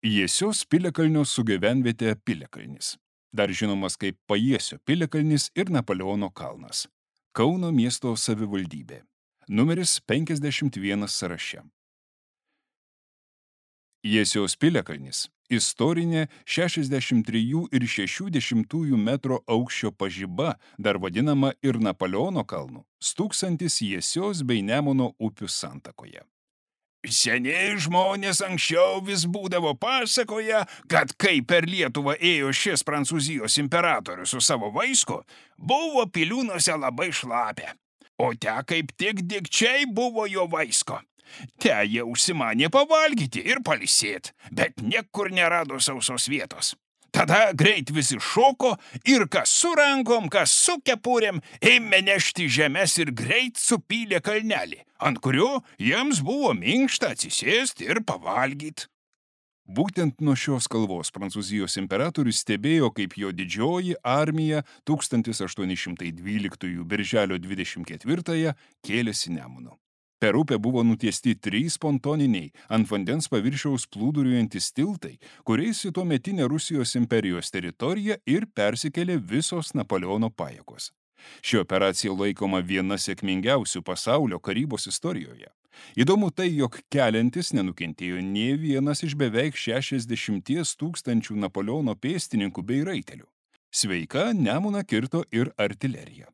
Jiesios piliakalnio sugyvenvietė Piliakalnis. Dar žinomas kaip Pajiesio piliakalnis ir Napoleono kalnas. Kauno miesto savivaldybė. Numeris 51 sąraše. Jiesios piliakalnis – istorinė 63,6 metro aukščio pažiba, dar vadinama ir Napoleono kalnu, stūksantis Jiesios bei Nemuno upių santakoje. Seniai žmonės anksčiau vis būdavo pasakoja, kad kai per Lietuvą ėjo šis Prancūzijos imperatorius su savo vaisku, buvo piliūnuose labai šlapia, o te kaip tik dikčiai buvo jo vaisko. Te jie užsimanė pavalgyti ir palisėt, bet niekur nerado sausos vietos. Tada greit visi šoko ir kas su rankom, kas su kepurėm ėmė nešti žemes ir greit supylė kalnelį, ant kurio jiems buvo minkšta atsisėsti ir pavalgyti. Būtent nuo šios kalvos Prancūzijos imperatorius stebėjo, kaip jo didžioji armija 1812 birželio 24 kėlėsi Nemunu. Per upę buvo nutiesti 3 pontoniniai ant vandens paviršiaus plūduriuojantys tiltai, kuriais į tuometinę Rusijos imperijos teritoriją ir persikėlė visos Napoleono pajėgos. Ši operacija laikoma viena sėkmingiausių pasaulio karybos istorijoje. Įdomu tai, jog keliantis nenukentėjo nė vienas iš beveik 60 000 Napoleono pėstininkų bei raitelių. Sveika Nemuną kirto ir artilerija.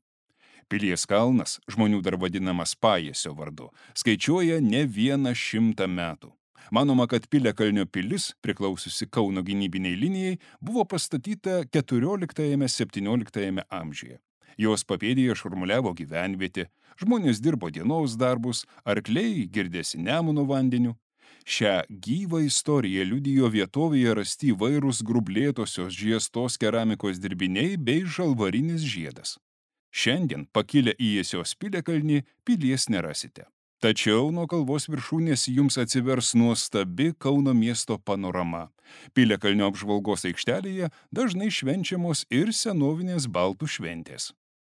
Pilies kalnas, žmonių dar vadinamas Pajiesio vardu, skaičiuoja ne 100 metų. Manoma, kad Piliakalnio pilis, priklausiusi Kauno gynybiniai linijai, buvo pastatyta 14–17 amžiuje. Jos papėdėje šurmuliavo gyvenvietė, žmonės dirbo dienos darbus, arkliai girdėsi Nemuno vandeniu. Šią gyvą istoriją liudijo vietovėje rasti įvairūs grublėtosios žiestos keramikos dirbiniai bei žalvarinis žiedas. Šiandien pakilę į Jiesios piliakalnį pilies nerasite. Tačiau nuo kalvos viršūnės jums atsivers nuostabi Kauno miesto panorama. Piliakalnio apžvalgos aikštelėje dažnai švenčiamos ir senovinės baltų šventės.